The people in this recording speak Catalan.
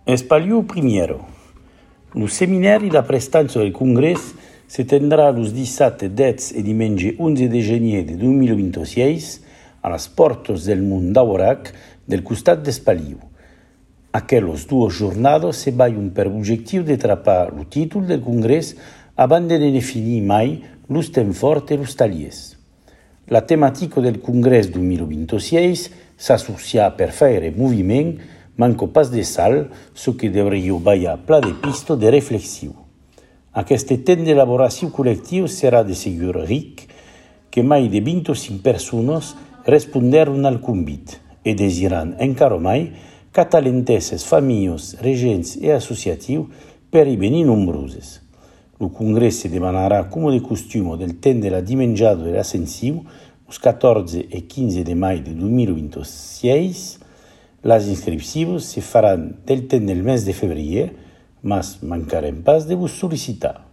Espaliu primero. Lo seminari la prestanza del Congrés se tendrà los 17, 10 e diumenge 11 de gener de 2026 a las portas del Mont d'Aubrac del costat d'Espaliu. Aquelos dues jornadas se vayan per objectiu de trapar lo títol del Congrés abans de definir mai los temps forts e los taliers. La temàtica del Congrés 2026 s'associa per faire moviment manco pas de sal, so que devríeu ballar pla de pista de reflexiu. Aquest temps d'elaboració col·lectiu serà de segur ric, que mai de 25 persones responderon al convit e desiran encara mai catalentesses familles, regents e associatius per i venir nombroses. El congrés se demanarà, com de costum, del temps de la dimenjada de l'ascensiu, els 14 e 15 de maig de 2026. Les inscripcions se faran del temps del mes de febrer, mas mancarem pas de vos sol·licitar.